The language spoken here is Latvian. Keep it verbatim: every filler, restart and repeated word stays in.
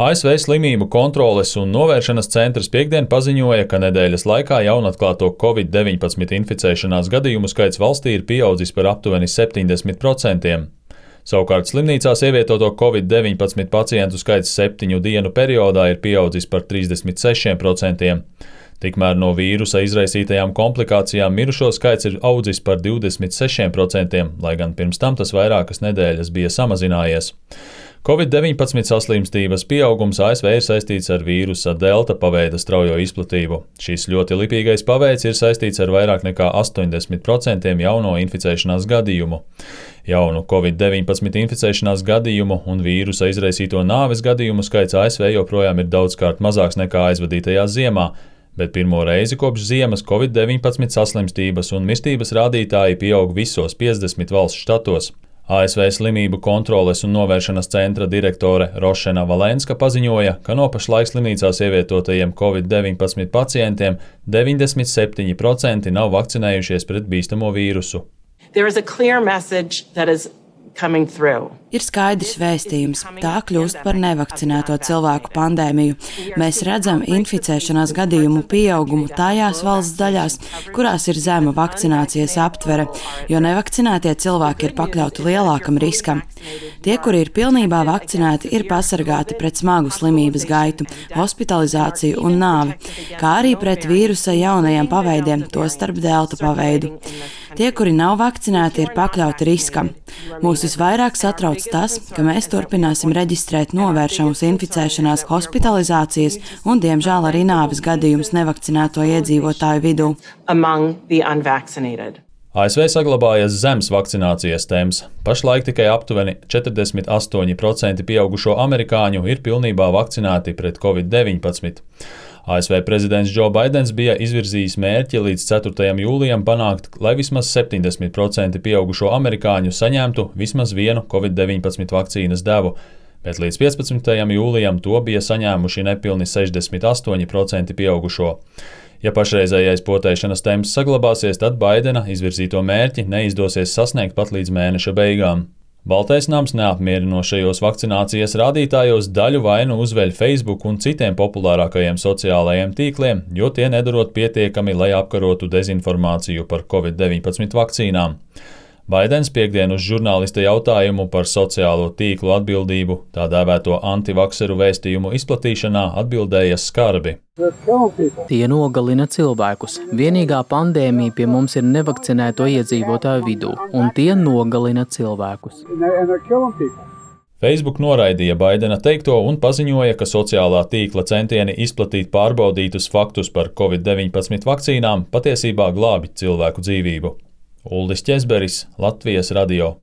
A S V Slimību kontroles un novēršanas centrs piektdien paziņoja, ka nedēļas laikā jaunatklāto covid deviņpadsmit inficēšanās gadījumu skaits valstī ir pieaudzis par aptuveni septiņdesmit procentiem. Savukārt slimnīcās ievietoto covid deviņpadsmit pacientu skaits septiņu dienu periodā ir pieaudzis par trīsdesmit sešiem procentiem. Tikmēr no vīrusa izraisītajām komplikācijām mirušo skaits ir audzis par divdesmit sešiem procentiem, lai gan pirms tam tas vairākas nedēļas bija samazinājies. covid deviņpadsmit saslimstības pieaugums A S V ir saistīts ar vīrusa delta paveida straujo izplatību. Šis ļoti lipīgais paveids ir saistīts ar vairāk nekā astoņdesmit procentiem jauno inficēšanās gadījumu. Jaunu covid deviņpadsmit inficēšanās gadījumu un vīrusa izraisīto nāves gadījumu skaits A S V joprojām ir daudzkārt mazāks nekā aizvadītajā ziemā, bet pirmo reizi kopš ziemas covid deviņpadsmit saslimstības un mirstības rādītāji pieaug visos piecdesmit valsts štatos. A S V Slimību kontroles un novēršanas centra direktore Rošena Valenska paziņoja, ka no pašlaik slimnīcās ievietotajiem covid deviņpadsmit pacientiem deviņdesmit septiņi procenti nav vakcinējušies pret bīstamo vīrusu. Ir skaidrs vēstījums. Tā kļūst par nevakcinēto cilvēku pandēmiju. Mēs redzam inficēšanās gadījumu pieaugumu tajās valsts daļās, kurās ir zema vakcinācijas aptvere, jo nevakcinētie cilvēki ir pakļauti lielākam riskam. Tie, kuri ir pilnībā vakcinēti, ir pasargāti pret smagu slimības gaitu, hospitalizāciju un nāvi, kā arī pret vīrusa jaunajiem paveidiem, tostarp delta paveidu. Tie, kuri nav vakcinēti, ir pakļauti riskam. Mūs visvairāk satrauc tas, ka mēs turpināsim reģistrēt novēršamus inficēšanās, hospitalizācijas un, diemžēl, arī nāves gadījumus nevakcinēto iedzīvotāju vidū. A S V saglabājas zems vakcinācijas temps. Pašlaik tikai aptuveni četrdesmit astoņi procenti pieaugušo amerikāņu ir pilnībā vakcinēti pret covid deviņpadsmit. A S V prezidents Džo Baidens bija izvirzījis mērķi līdz ceturtajam jūlijam panākt, lai vismaz septiņdesmit procenti pieaugušo amerikāņu saņemtu vismaz vienu covid deviņpadsmit vakcīnas devu, bet līdz piecpadsmitajam jūlijam to bija saņēmuši nepilni sešdesmit astoņi procenti pieaugušo. Ja pašreizējais potēšanas temps saglabāsies, tad Baidena izvirzīto mērķi neizdosies sasniegt pat līdz mēneša beigām. Baltais nams neapmierinošajos vakcinācijas rādītājos daļu vainu uzveļ Facebook un citiem populārākajiem sociālajiem tīkliem, jo tie nedarot pietiekami, lai apkarotu dezinformāciju par covid deviņpadsmit vakcīnām. Baidens piektdien uz žurnālista jautājumu par sociālo tīklu atbildību, tā dēvēto antivakseru vēstījumu izplatīšanā, atbildēja skarbi. Tie nogalina cilvēkus. Vienīgā pandēmija pie mums ir nevakcinēto iedzīvotāju vidū, un tie nogalina cilvēkus. Facebook noraidīja Baidena teikto un paziņoja, ka sociālā tīkla centieni izplatīt pārbaudītus faktus par covid deviņpadsmit vakcīnām patiesībā glābi cilvēku dzīvību. Uldis Ķezberis, Latvijas radio.